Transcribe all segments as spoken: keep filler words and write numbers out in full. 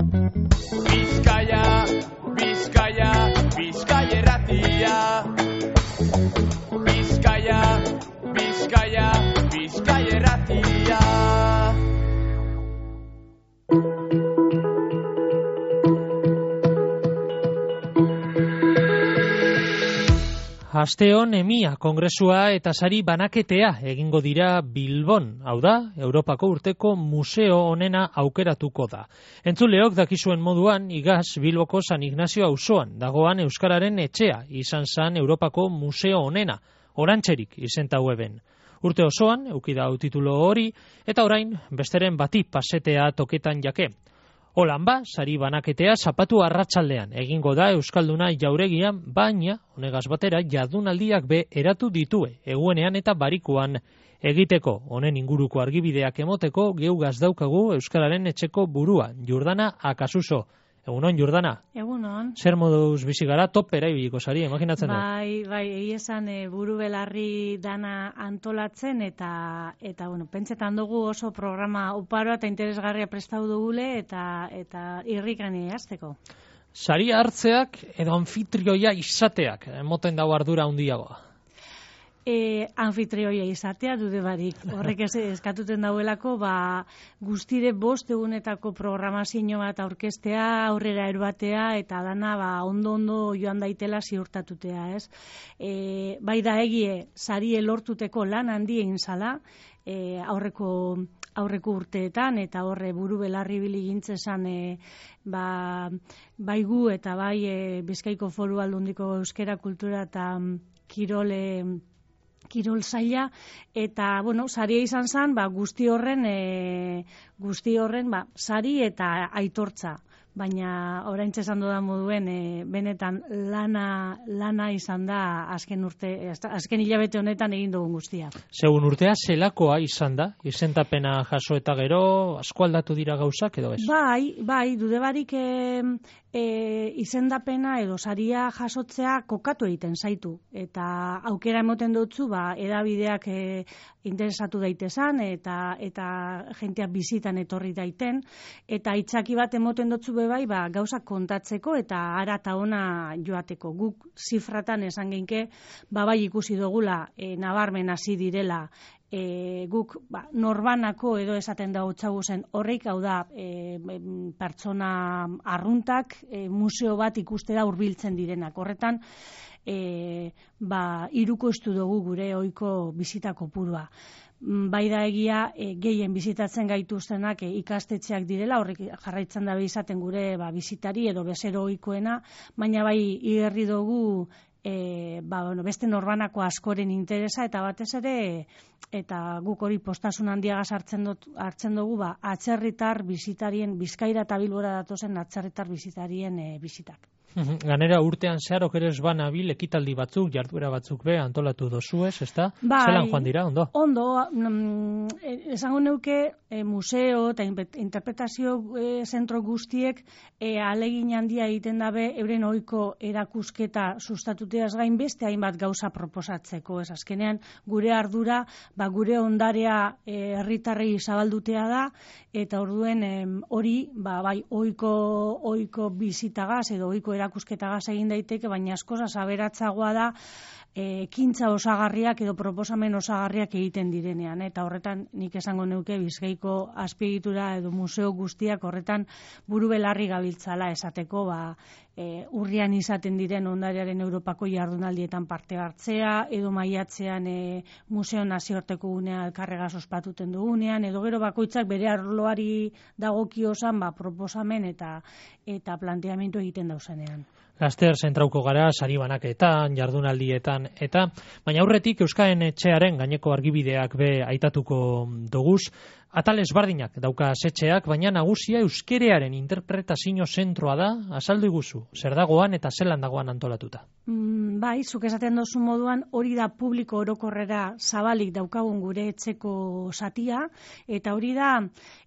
Bizkaia, Bizkaia, Bizkaia erratia. Bizkaia, Bizkaia, Bizkaia erratia. Asteon emia kongresua eta sari banaketea egingo dira Bilbon, hau da, Europako urteko museo onena aukeratuko da. Entzuleok dakizuen moduan, igaz Bilboko San Ignazio auzoan dagoan Euskararen etxea izan zan Europako museo onena, orantxerik izentau eben. Urte osoan, eukida hau titulo hori, eta orain besteren bati pasetea toketan jake. Holan ba, sari banaketea zapatu arratsaldean egingo da Euskalduna jauregian, baina, honegaz batera, jardunaldiak be eratu ditue, eguenean eta barikuan egiteko. Honen inguruko argibideak emoteko, geugaz daukagu Euskararen etxeko burua, Jordana Akasuso. Egunon, Jordana? Egunon. Zer moduz bizi gara, topera ibiliko sari, imaginatzen dut? Bai, bai, egi esan e, buru belarri dana antolatzen eta, eta bueno, pentsetan dugu oso programa oparoa eta interesgarria prestau dugule eta, eta irrikani hasteko. Sari hartzeak edo anfitrioia izateak, emoten dago ardura handiagoa. E, anfitrioia izatea dude barik. Horrek ez eskatuten dauelako, ba, guztire bost egunetako programazio bat aurkeztea, aurrera erbatea, eta dana ba, ondo-ondo joan daitela ziurtatutea, ez? E, bai da egie, sarie lortuteko lan handi egin zala, e, aurreko aurreko urteetan, eta horre buru belarri bili gintzezan e, ba, bai gu eta bai e, Bizkaiko Foru Aldundiko euskera kultura eta kirole kirol zaila, eta, bueno, saria izan zen, ba, guzti horren, e, guzti horren, ba, sari eta aitortza. Baina, oraintxe esan dudan moduen, e, benetan lana, lana izan da azken urte, azken hilabete honetan egin dugun guztia. Segun urtea, zelakoa izan da? Izentapena jaso eta gero, asko aldatu dira gauzak edo ez? Bai, bai, dude barik e, e, izendapena edo saria jasotzea kokatu egiten zaitu. Eta aukera emoten dutzu, ba, edabideak e, interesatu daitezan, eta, eta jentea bizitan etorri daiten, eta itzaki bat emoten dutzu bai, ba, gauzak kontatzeko eta ara eta ona joateko. Guk zifratan esan genke, ba, bai ikusi dugula e, nabarmen hasi direla e, guk ba, norbanako edo esaten da hotzagu zen horreik, hau da e, pertsona arruntak e, museo bat ikustera hurbiltzen direnak. Horretan, e, ba, hirukoiztu dugu gure ohiko bizita kopurua. Bai da egia e, gehien bizitatzen gaituztenak e, ikastetxeak direla, horrek jarraitzen da izaten gure ba, bizitari edo bezero ohikoena, baina bai igerri dugu e, ba, bueno, beste norbanako askoren interesa eta batez ere eta guk hori postasun handiagaz hartzen, dut, hartzen dugu ba, atzerritar bizitarien, Bizkaira eta Bilbora datozen atzerritar bizitarien e, bizitak. Ganera urtean zeharok ere ez banabil ekitaldi batzuk, jarduera batzuk be antolatu dozuez, ezta? Bai, zelan joan dira, ondo? Ondo, mm, esango neuke e, museo eta interpretazio e, zentro guztiek e, alegin handia egiten dabe euren ohiko erakusketa sustatuteaz gain beste hainbat gauza proposatzeko. Ez azkenean gure ardura, ba, gure ondarea e, herritarrei zabaldutea da, eta orduen e, hori ba, bai ohiko ohiko bizitagaz edo ohiko erakusketagaz egin daiteke, baina askoz aberatsagoa da e, ekintza osagarriak edo proposamen osagarriak egiten direnean, eta horretan nik esango neuke Bizkaiko azpiegitura edo museo guztiak horretan buru belarri gabiltzala esateko, ba, e, urrian izaten diren ondarearen Europako jardunaldietan parte hartzea, edo maiatzean e, museo nazioarteko gunea elkarregaz ospatuten dugunean, edo gero bakoitzak bere arloari dagokiosan ba, proposamen eta eta planteamendu egiten dauzenean. Laster zentrauko gara, sari banaketan, jardunaldietan, eta baina aurretik Euskaren etxearen gaineko argibideak be aitatuko doguz, atal ezbardinak dauka setxeak, baina nagusia euskerearen interpretazio zentroa da, azaldu iguzu, zer dagoan eta zelan dagoan antolatuta. Mm, bai, zuk esaten dozu moduan, hori da publiko orokorrera zabalik daukagun gure etxeko satia, eta hori da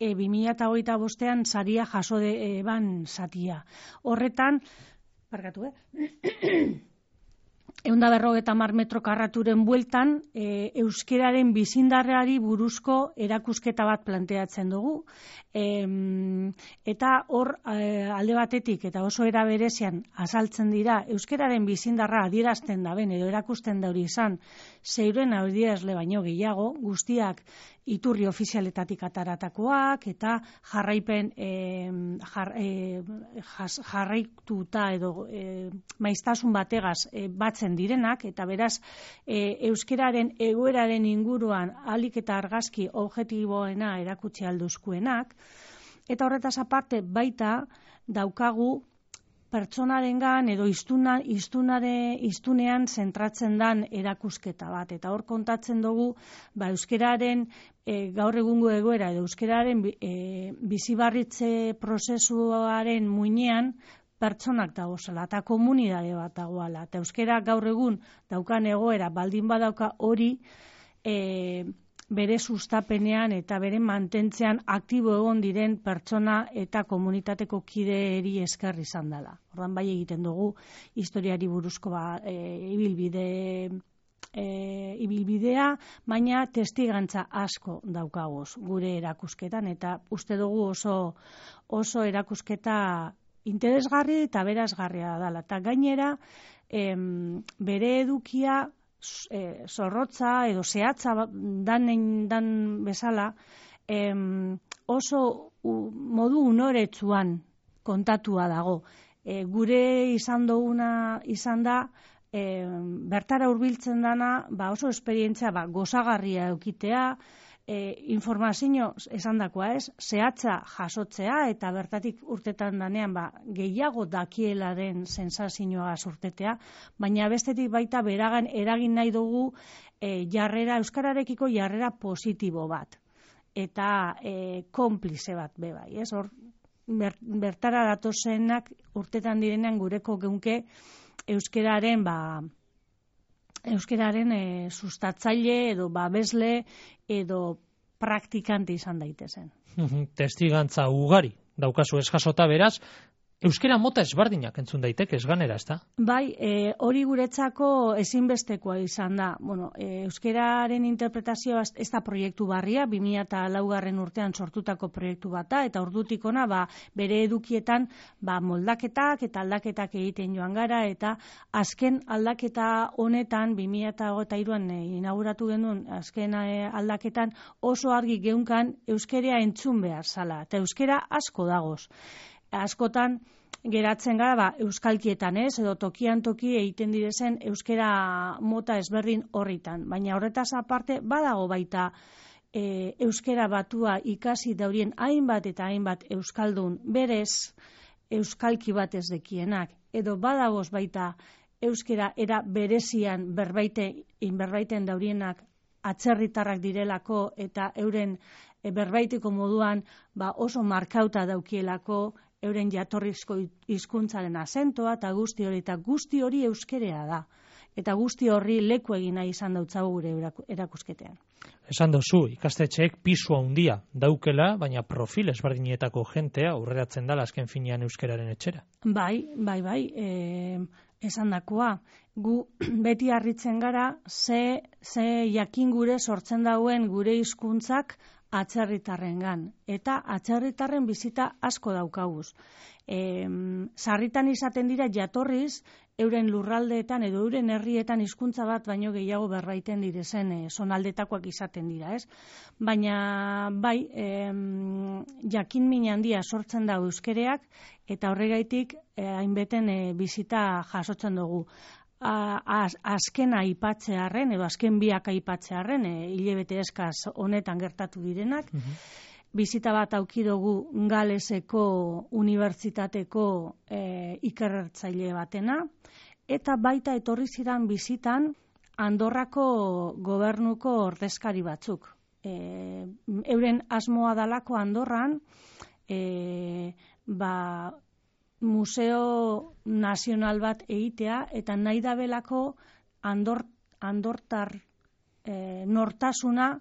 e, bi mila hogeita bostean saria jaso de, e, ban satia. Horretan, Barkatu, eh? ehun eta berrogeita hamar metro karraturen bueltan, e, euskeraren bizindarrari buruzko erakusketa bat planteatzen dugu. E, eta hor e, alde batetik eta oso era berezian azaltzen dira euskeraren bizindarra adierazten daben edo erakusten dauri izan seiren adierazle baino gehiago, guztiak iturri ofizialetatik ataratakoak eta jarraipen e, jar, e, jas, jarraituta edo e, maiztasun bategaz e, batzen direnak, eta beraz e, euskeraren egoeraren inguruan alik eta argazki objektiboena erakutsi alduzkuenak, eta horretaz aparte baita daukagu pertsonarengan edo iztuna, iztunare, iztunean zentratzen dan erakusketa bat, eta hor kontatzen dugu ba, euskeraren e, gaur egungo egoera edo euskeraren e, bizibarritze prozesuaren muinean pertsonak dagozela, eta komunidade bat dagoela. Eta euskera gaur egun daukan egoera, baldin badauka hori e, bere sustapenean eta bere mantentzean aktibo egon diren pertsona eta komunitateko kideeri esker izan dela. Ordan bai egiten dugu historiari buruzko ba, e, ibilbide e, ibilbidea, baina testigantza asko daukagoz gure erakusketan, eta uste dugu oso, oso erakusketa interesgarri eta berazgarria dela. Eta gainera, em, bere edukia e, zorrotza edo zehatza dan, dan bezala em, oso u, modu unoretsuan kontatua dago. E, gure izan duguna izan da, e, bertara hurbiltzen dana ba oso esperientzia ba, gozagarria eukitea, E, informazio esandakoa ez, zehatza jasotzea eta bertatik urtetan danean ba, gehiago dakielaren sensazioa urtetea, baina bestetik baita beragan eragin nahi dugu e, jarrera, euskararekiko jarrera positibo bat eta e, konplize bat be bai, ez? Hor ber, bertara datozenak urtetan direnean gureko geunke euskararen ba euskararen e, sustatzaile edo babesle edo praktikante izan daitezen. Testigantza ugari daukazu ez jasota, beraz, euskera mota ezberdinak entzun daiteke ez ganera, ezta? Bai, e, hori guretzako ezinbestekoa izan da. Bueno, e, euskeraren interpretazioa ez da proiektu barria, bi mila laugarren urtean sortutako proiektu bat da, eta ordutik ona ba, bere edukietan ba, moldaketak eta aldaketak egiten joan gara, eta azken aldaketa honetan, bi mila hogeita hiruan e, inauguratu genuen azken e, aldaketan oso argi geunkan euskera entzun behar zala, eta euskera asko dagoz. Askotan geratzen gara ba, euskalkietan ez, edo tokian toki egiten direzen euskera mota ezberdin horritan. Baina horretaz aparte badago baita e, euskera batua ikasi daurien hainbat eta hainbat euskaldun berez euskalki bat ez dekienak. Edo badagoz baita euskera era berezian berbaite, berbaiten daurienak atzerritarrak direlako eta euren e, berbaiteko moduan ba, oso markauta daukielako euren jatorrizko hizkuntzaren azentoa eta guzti hori, eta guzti hori euskerea da. Eta guzti horri leku egin nahi izan dautzagu gure erakusketean. Esan dozu, ikastetxeek pisu handia daukela, baina profil ezberdinetako jentea aurreratzen dela azken finean euskeraren etxera. Bai, bai, bai, e, esan dakoa. Gu beti harritzen gara, ze, ze jakin gure sortzen dauen gure hizkuntzak atzerritarrengan, eta atzerritarren bizita asko daukaguz. E, sarritan izaten dira jatorriz, euren lurraldeetan edo euren herrietan hizkuntza bat baino gehiago berbaiten direzen e, zonaldetakoak izaten dira, ez? Baina bai, e, jakin min handia sortzen da euskereak, eta horregaitik e, hainbeten e, bizita jasotzen dugu. Az, azkena aipatzearren, edo azken biak aipatzearren, e, hilabete eskaz honetan gertatu direnak, uh-huh. Bizita bat auki dugu Galeseko unibertsitateko e, ikertzaile batena, eta baita etorri ziren bizitan Andorrako gobernuko ordezkari batzuk. E, euren asmoa dalako Andorran, e, ba, museo nazional bat egitea, eta nahi dabelako andor, andortar e, nortasuna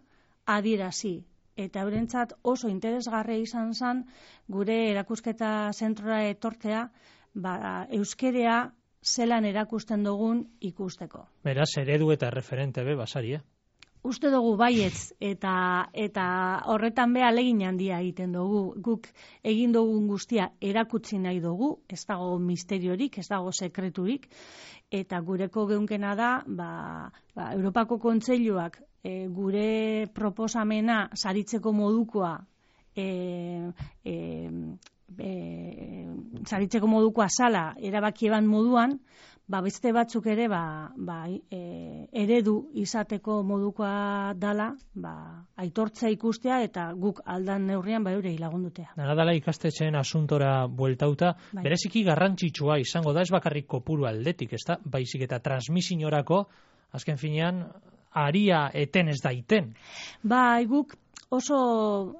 adierazi. Eta eurentzat oso interesgarria izan zen gure erakusketa zentrora etortzea, ba, euskerea zelan erakusten dugun ikusteko. Beraz, eredu eta referente be basari, eh? Uste dugu baietz eta eta horretan be ahalegin handia egiten dugu. Guk egin dugun guztia erakutsi nahi dugu, ez dago misteriorik, ez dago sekreturik, eta gureko geunkena da, ba, ba, Europako Kontseiluak e, gure proposamena saritzeko modukoa e, e, e, saritzeko modukoa sala erabaki eban moduan, ba, beste batzuk ere ba, ba, e, eredu izateko modukoa dala, ba, aitortzea ikustea eta guk aldan neurrian ba eurei lagundutea. Dara dala ikastetxeen asuntora bueltauta, bai. Bereziki garrantzitsua izango da, ez bakarrik kopuru aldetik, ez da, baizik eta transmisiorako, azken finean, aria eten ez daiten. Ba, guk oso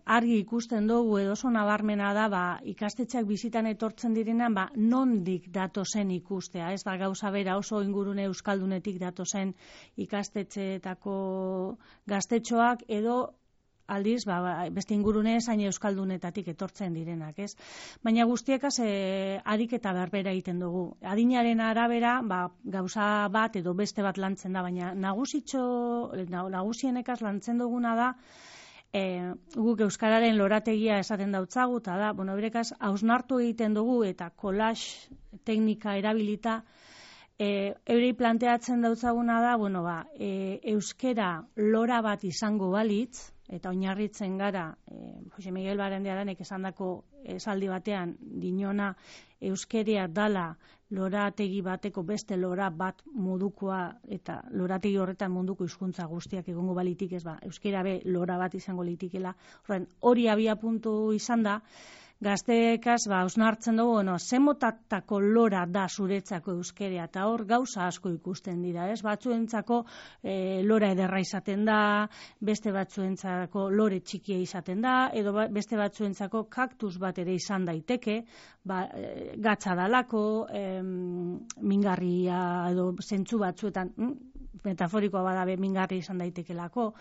argi ikusten dugu edo oso nabarmena da ba, ikastetxeak bizitan etortzen direnean ba, nondik datozen ikustea. Ez da gauza bera oso ingurune euskaldunetik datozen ikastetxeetako gaztetxoak edo aldiz ba, beste ingurune zain euskaldunetatik etortzen direnak. Ez? Baina guztiekaz e, ariketa berbera egiten dugu. Adinaren arabera ba, gauza bat edo beste bat lantzen da, baina nagusitxo, nagusienekaz lantzen duguna da E, guk euskararen lorategia esaten dautzagu, eta da, bueno, berekaz, hausnartu egiten dugu eta collage teknika erabilita, e, eurei planteatzen dautzaguna da, bueno, ba, e, euskera lora bat izango balitz, eta oinarritzen gara, e, Jose Miguel Barandiaranek esandako esaldi batean, dinona euskeria dala lorategi bateko beste lora bat modukoa eta lorategi horretan munduko hizkuntza guztiak egongo balitik ez ba, euskera be lora bat izango litikela. Horren, hori abia puntu izan da, gazteekaz ba, osnartzen dugu, bueno, zemotatako lora da zuretzako euskeria, eta hor gauza asko ikusten dira, ez? Batzuentzako e, lora ederra izaten da, beste batzuentzako lore txikia izaten da, edo beste batzuentzako kaktus bat ere izan daiteke, ba, e, gatza dalako, em, mingarria edo zentzu batzuetan, hm? metaforikoa badabe mingarri izan daitekelako.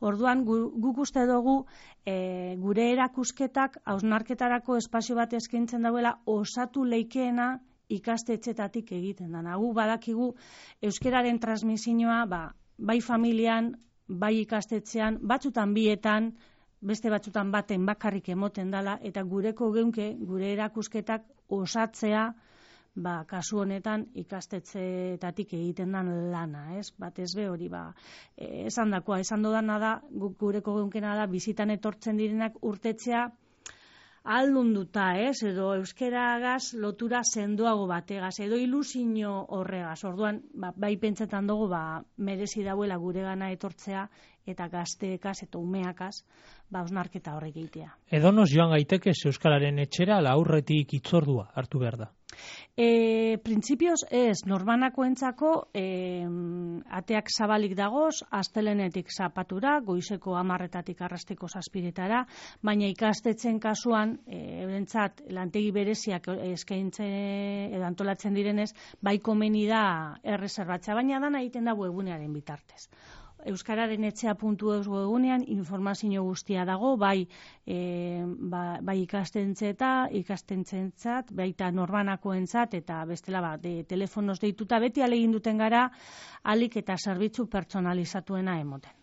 Orduan, gu, guk uste dugu e, gure erakusketak hausnarketarako espazio bat eskaintzen dauela osatu leikeena ikastetxetatik egiten da. Gu badakigu euskeraren transmisioa ba, bai familian, bai ikastetxean, batzutan bietan, beste batzutan baten bakarrik emoten dala, eta gureko geunke, gure erakusketak osatzea, ba, kasu honetan ikastetxeetatik egiten den lana, ez? Batez be hori, ba, esan dakoa, esan dodana da, guk gureko geunkena da, bizitan etortzen direnak urtetzea aldunduta, ez? Edo euskeragaz lotura sendoago bategaz, edo ilusio horregaz. Orduan, ba, bai pentsetan dugu, ba, merezi dauela gure gana etortzea, eta gazteekaz eta umeakaz, ba, osnarketa horrek egitea. Edo nos joan gaiteke euskararen etxera, la aurretik itzordua hartu behar da? E, Printzipioz ez, norbanakoentzako e, ateak zabalik dagoz, astelenetik zapatura, goizeko hamarretatik arrasteko zazpiretara, baina ikastetxen kasuan, e, eurentzat lantegi bereziak eskaintzen edo antolatzen direnez, bai komeni da erreserbatzea, baina dana egiten da webgunearen bitartez. Euskararen etxea puntu eus webgunean informazio guztia dago, bai, e, ba, bai ikastentzeeta, ikastentzentzat, baita norbanakoentzat, eta bestela ba, de, telefonoz deituta, beti alegin duten gara, alik eta zerbitzu pertsonalizatuena emoten.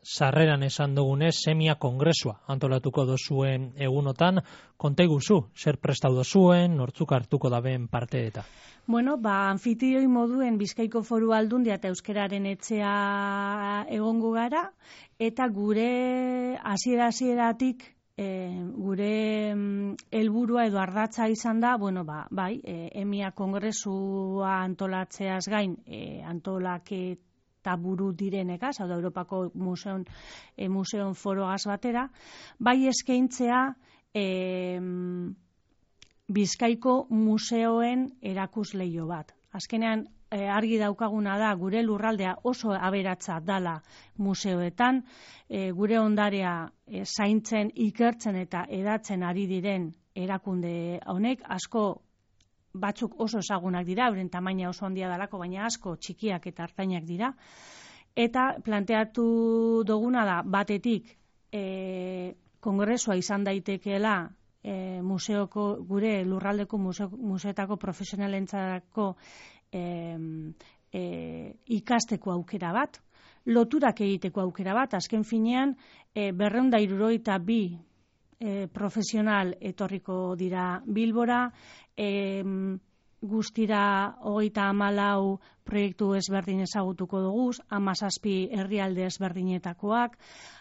Sarreran esan dugunez, semia kongresua antolatuko dozuen egunotan, konta iguzu, zer prestau dozuen, nortzuk hartuko daben parte eta? Bueno, ba, anfitrioi moduen Bizkaiko Foru Aldundia eta Euskararen etxea egongo gara, eta gure hasiera-hasieratik e, gure helburua edo ardatza izan da, bueno, ba, bai, e, emia kongresua antolatzeaz gain, e, antolaket eta buru direnekaz, hau da Europako museon, e, museon foroaz batera, bai eskaintzea e, Bizkaiko museoen erakusleio bat. Azkenean, e, argi daukaguna da, gure lurraldea oso aberatsa dala museoetan, e, gure ondarea e, zaintzen, ikertzen eta edatzen ari diren erakunde honek, asko batzuk oso ezagunak dira, euren tamaina oso handia dalako, baina asko txikiak eta hartainak dira. Eta planteatu duguna da, batetik, e, kongresua izan daitekeela e, museoko, gure lurraldeko museo, museetako profesionalentzako e, e, ikasteko aukera bat, loturak egiteko aukera bat, azken finean e, berrehun eta hirurogeita bi e, profesional etorriko dira Bilbora, e, guztira hogeita hamalau proiektu ezberdin ezagutuko dugu, hamazazpi herrialde ezberdinetakoak,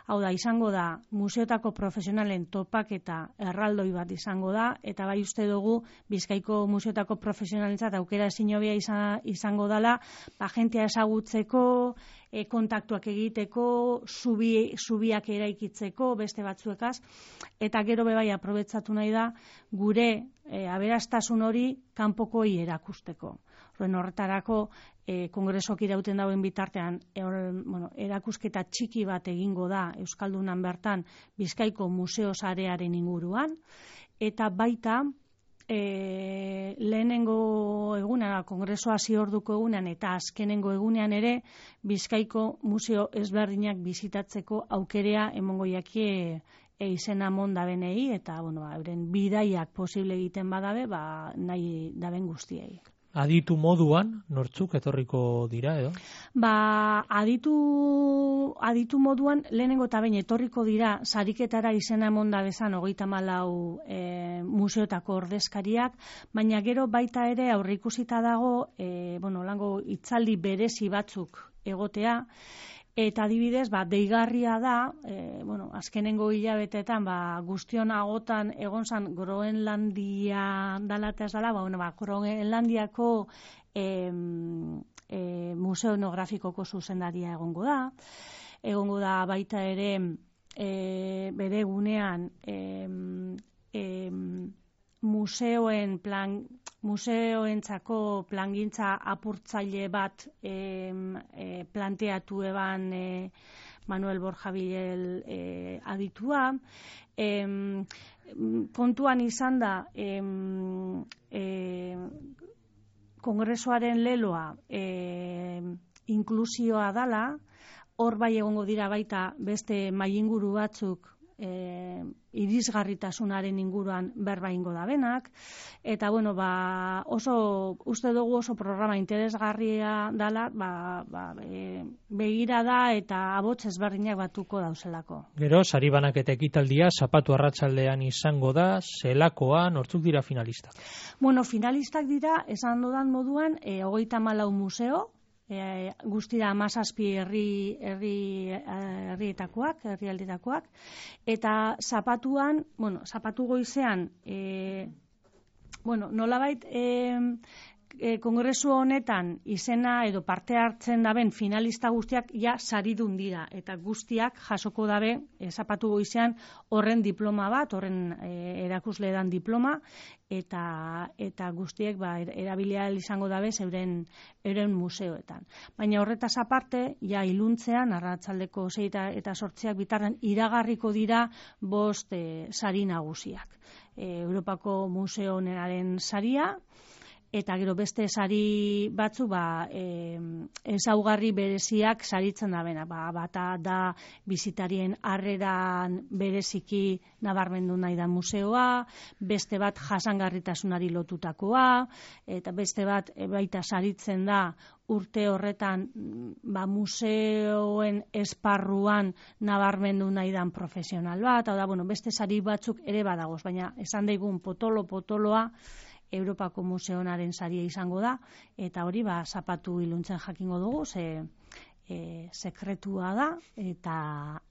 hau da, izango da, museotako profesionalen topaketa erraldoi bat izango da, eta bai uste dugu, Bizkaiko museotako profesionalentzat aukera ezin hobea izan, izango dela, ba, jentea ezagutzeko, e, kontaktuak egiteko, zubi, zubiak eraikitzeko, beste batzuekaz, eta gero bebai aprobetsatu nahi da, gure e, aberastasun hori kanpokoi erakusteko. Horren horretarako, e, kongresok irauten dauen bitartean, e, bueno, erakusketa txiki bat egingo da Euskaldunan bertan Bizkaiko museo sarearen inguruan, eta baita, e, lehenengo egunean, kongresoa ziorduko egunean, eta azkenengo egunean ere, Bizkaiko museo ezberdinak bizitatzeko aukerea emongo jakie e, izena mon dabenei, eta bueno, ba, euren bidaiak posible egiten badabe, ba, nahi daben guztiei. Aditu moduan, nortzuk etorriko dira, edo? Ba, aditu, aditu moduan, lehenengo eta behin etorriko dira, sariketara izena emonda bezan, hogeita hamalau e, museotako ordezkariak, baina gero baita ere aurreikusita dago, e, bueno, lango hitzaldi berezi batzuk egotea, eta adibidez, ba, deigarria da, e, bueno, azkenengo hilabetetan, ba, guztion agotan egon zan Groenlandia dala eta ez dala, ba, bueno, ba, Groenlandiako e, e, museo etnografikoko zuzendaria egongo da, egongo da baita ere e, bere gunean e, e, museoen plan, museoentzako plangintza apurtzaile bat e, e, planteatu eban e, Manuel Borja Bilel e, aditua. E, kontuan izan da e, e, kongresoaren leloa e, inklusioa dala, hor bai egongo dira baita beste mailinguru batzuk E, irisgarritasunaren inguruan berba ingo da benak, eta bueno, ba, oso, uste dugu oso programa interesgarria dala, ba, ba, e, begira da eta abots ezberdinak batuko dauzelako. Gero, sari banaketa ekitaldia, zapatu arratsaldean izango da, zelakoa, nortzuk dira finalistak? Bueno, finalistak dira, esan dudan moduan, e, hogeita hamalau museo, E, guztira hamazazpi herri herri herrietakoak, herrialdetakoak, eta zapatuan, bueno, zapatu goizean, e, bueno, nolabait e, e, kongresu honetan izena edo parte hartzen daben finalista guztiak ja saridun dira, eta guztiak jasoko dabe e, zapatu goizean horren diploma bat, horren e, erakusle dan diploma, eta eta guztiek ba erabilia izango dabe euren euren museoetan. Baina horretaz aparte, ja iluntzean arratsaldeko sei eta zortziak bitarren iragarriko dira bost e, sari nagusiak. E, Europako Museo Onenaren saria, eta gero beste sari batzu ba, e, ezaugarri bereziak saritzen da bena. Ba, bata da bizitarien harreran bereziki nabarmendu nahi da museoa, beste bat jasangarritasunari lotutakoa, eta beste bat e, baita saritzen da urte horretan ba, museoen esparruan nabarmendu nahi dan profesional bat, hau da, bueno, beste sari batzuk ere badagoz, baina esan daigun potolo-potoloa Europako Museonaren saria izango da, eta hori ba zapatu iluntzen jakingo dugu, ze e, sekretua da, eta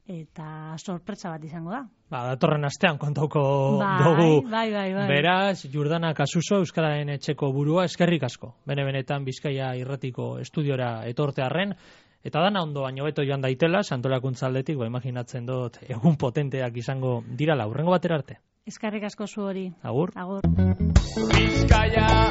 eta sorpresa bat izango da. Ba, datorren astean kontauko bai, dugu. Bai, bai, bai. Beraz, Jordana Kasuso, Euskararen etxeko burua, eskerrik asko. Bene-benetan Bizkaia irratiko estudiora etortearren, eta dana ondo baino beto joan daitela, Santolakuntza aldetik, ba, imaginatzen dut, egun potenteak izango dirala, hurrengo batera arte. Eskerrik asko zu hori. Agur. Agur. Bizkaia